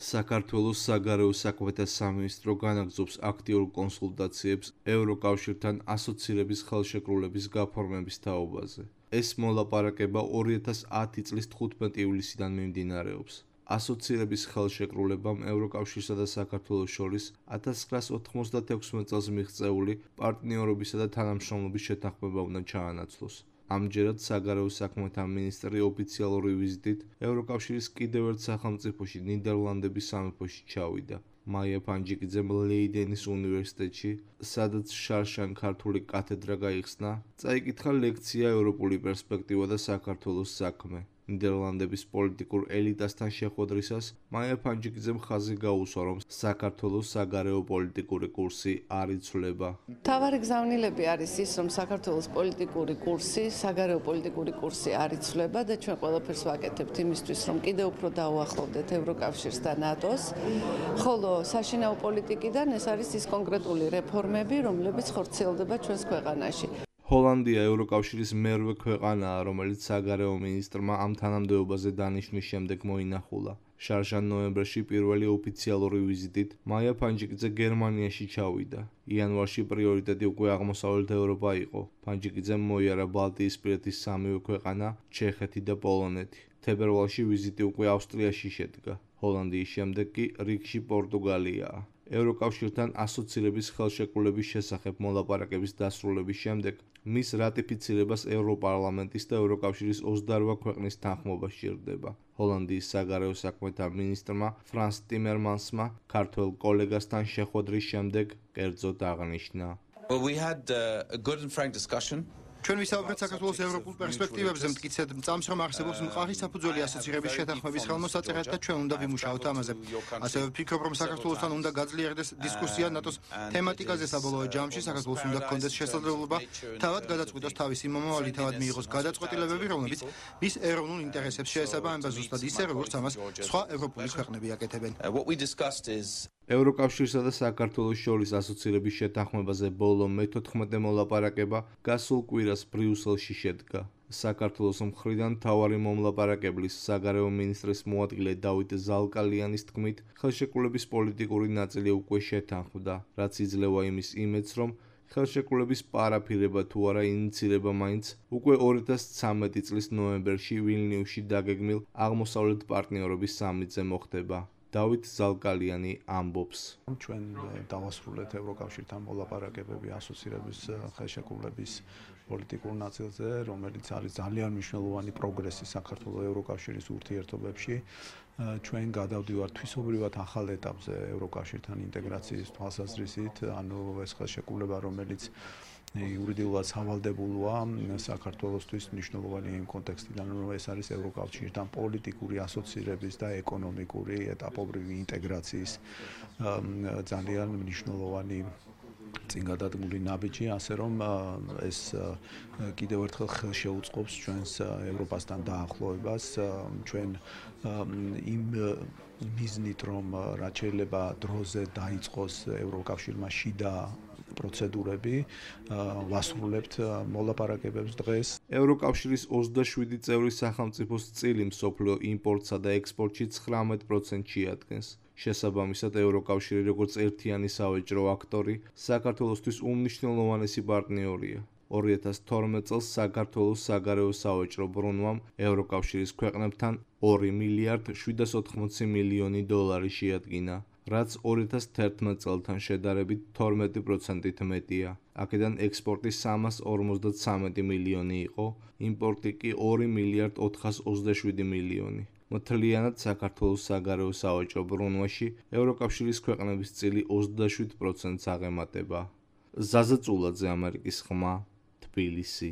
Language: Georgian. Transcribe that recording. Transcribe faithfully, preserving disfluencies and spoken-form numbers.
საქართველოს საგარეო საქმეთა სამინისტრო განაგრძობს აქტიურ კონსულტაციებს ევროკავშირთან ასოცირების ხელშეკრულების გაფორმების თაობაზე. ეს მოლაპარაკება ორი ათას ათი წლის თხუთმეტი ივლისიდან მიმდინარეობს. ასოცირების ხელშეკრულებამ ევროკავშირსა და საქართველოს შორის ათას ცხრაას ოთხმოცდათექვსმეტ წელს მიღწეული პარტნიორობისა და თანამშრომლობის შეთანხმება უნდა ჩაანაცვლოს. ამჯერად საგარეო საქმეთა მინისტრი ოფიციალური ვიზიტით ევროკავშირის კიდევ ერთ სახელმწიფოში ნიდერლანდების სამეფოში ჩავიდა. მაია ფანჯიკიძემ ლეიდენის უნივერსიტეტში, სადაც შარშან ქართული კათედრა გაიხსნა, წაიკითხა ლექცია ევროპული პერსპექტივა და საქართველოს საქმე. ნიდერლანდების პოლიტიკურ ელიტასთან შეხვედრისას მაია ფანჯიკიძემ ხაზი გაუსვა, რომ საქართველოს საგარეო პოლიტიკური კურსი არ იცვლება. მთავარი გზავნილები არის ის, რომ საქართველოს პოლიტიკური კურსი, საგარეო პოლიტიკური კურსი არ იცვლება და ჩვენ ყველაფერს ვაკეთებთ იმისთვის, რომ კიდევ უფრო დაუახლოვდეთ ევროკავშირს და ნატოს. ხოლო საშინაო პოლიტიკიდან ეს არის ის კონკრეტული რეფორმები, რომლებიც ხორციელდება ჩვენს ქვეყანაში. ჰოლანდია ევროკავშირის მერვე ქვეყანაა, რომელიც საგარეო მინისტრმა ამ თანამდებობაზე დანიშვნის შემდეგ მოინახულა. შარშან ნოემბერში პირველი ოფიციალური ვიზიტით მაია ფანჯიკიძე გერმანიაში ჩავიდა. იანვარში პრიორიტეტი უკვე აღმოსავლეთ ევროპა იყო. ფანჯიკიძემ მოიარა ბალტიისპირეთის სამივე ქვეყანა, ჩეხეთი და პოლონეთი. თებერვალში ვიზიტი უკვე ავსტრიაში შედგა. ჰოლანდიის შემდეგ კი რიგში პორტუგალიაა. ევროკავშირთან ასოცირების ხელშეკრულების შესახებ მოლაპარაკების დასრულების შემდეგ მის რატიფიცირებას ევროპარლამენტის და ევროკავშირის ოცდაორ ქვეყნის თანხმობა სჭირდება. ჰოლანდიის საგარეო საქმეთა მინისტრმა ფრანს ტიმერმანსმა ქართველ კოლეგასთან შეხვედრის შემდეგ კერძოდ აღნიშნა. Well, we had uh, a good and frank discussion. ჩვენ ვისაუბრეთ საქართველოს ევროპულ პერსპექტივებზე, მტკიცედ მწამს, რომ არსებობს მყარი საფუძველი ასოცირების შეთანხმების ხელმოსაწერად და ჩვენ უნდა ვიმუშაოთ ამაზე. ასევე ვფიქრობ, რომ საქართველოსთან უნდა გაძლიერდეს დისკუსია ნატოს თემატიკაზე საბოლოო ჯამში. საქართველოს უნდა ჰქონდეს შესაძლებლობა თავად გადაწყვიტოს თავისი მომავალი, თავად მიიღოს გადაწყვეტილებები, რომლებიც მის ეროვნულ ინტერესებს შეესაბამება ზუსტად ისე, როგორც ამას სხვა ევროპული ქვეყნები აკეთებენ. What we discussed is ევროკავშირსა და საქართველოს შორის ასოცირების შეთანხმებაზე ბოლო მეთოთხმეტე მოლაპარაკება გასულ კვირას ბრიუსელში შედგა. საქართველოს მხრიდან მთავარი მომლაპარაკებლის საგარეო მინისტრის მოადგილე დავით ზალკალიანის თქმით, ხელშეკრულების პოლიტიკური ნაწილი უკვე შეთანხმდა, რაც იძლევა იმის იმედს, რომ ხელშეკრულების პარაფირება თუ არა ინიცირება მაინც უკვე ორი ათას ცხრამეტი წლის ნოემბერში ვილნიუსში დაგეგმილ აღმოსავლეთ პარტნიორობის სამიტზე მოხდება. დავით ზალკალიანი ამბობს. ჩვენ დავასრულეთ ევროკავშირთან მოლაპარაკებები ასოცირების ხელშეკრულების პოლიტიკურ ნაწილზე, რომელიც არის ძალიან მნიშვნელოვანი პროგრესი საქართველოს ევროკავშირის ურთიერთობებში. ჩვენ გადავდივართ თვისობრივად ახალ ეტაპზე ევროკავშირთან ინტეგრაციის თვალსაზრისით, ანუ ეს ხელშეკრულება, რომელიც იურიდიულად სავალდებულოა საქართველოსთვის მნიშვნელოვანი იმ კონტექსტიდან, რომ ეს არის ევროკავშირთან პოლიტიკური ასოცირების და ეკონომიკური ეტაპობრივი ინტეგრაციის ძალიან მნიშვნელოვანი წინ გადადგმული ნაბიჯი, ასე რომ ეს კიდევ ერთხელ ხელშეუწყობს ჩვენს ევროპასთან დაახლოებას. ჩვენ იმ მიზნით, რომ რაც შეიძლება დროზე დაიწყოს ევროკავშირმა შიდა პროცედურები, ვასრულებთ მოლაპარაკებებს დღეს. ევროკავშირის ოცდაშვიდი წევრი სახელმწიფოს წილი მსოფლიო იმპორტსა და ექსპორტში ცხრამეტ პროცენტს შეადგენს. შესაბამისად, ევროკავშირი როგორც ერთიანი სავაჭრო აქტორი საქართველოსთვის უმნიშვნელოვანესი პარტნიორია. ორი ათას თორმეტ წელს საქართველოს საგარეო სავაჭრო ბრუნვამ ევროკავშირის ქვეყნებთან ორი მილიარდ შვიდას ოთხმოცი მილიონი დოლარი შეადგინა, რაც ორი ათას თერთმეტ წელთან შედარებით თორმეტი პროცენტით მეტია. აქედან ექსპორტი სამას ორმოცდაცამეტი მილიონი იყო, იმპორტი კი ორი მილიარდ ოთხას ოცდაშვიდი მილიონი. მთლიანად საქართველოს საგარეო სავაჭრო ბრუნვაში ევროკავშირის ქვეყნების წილი ოცდაშვიდ პროცენტს აღემატება. ზაზა წულაძე, ამერიკის ხმა, თბილისი.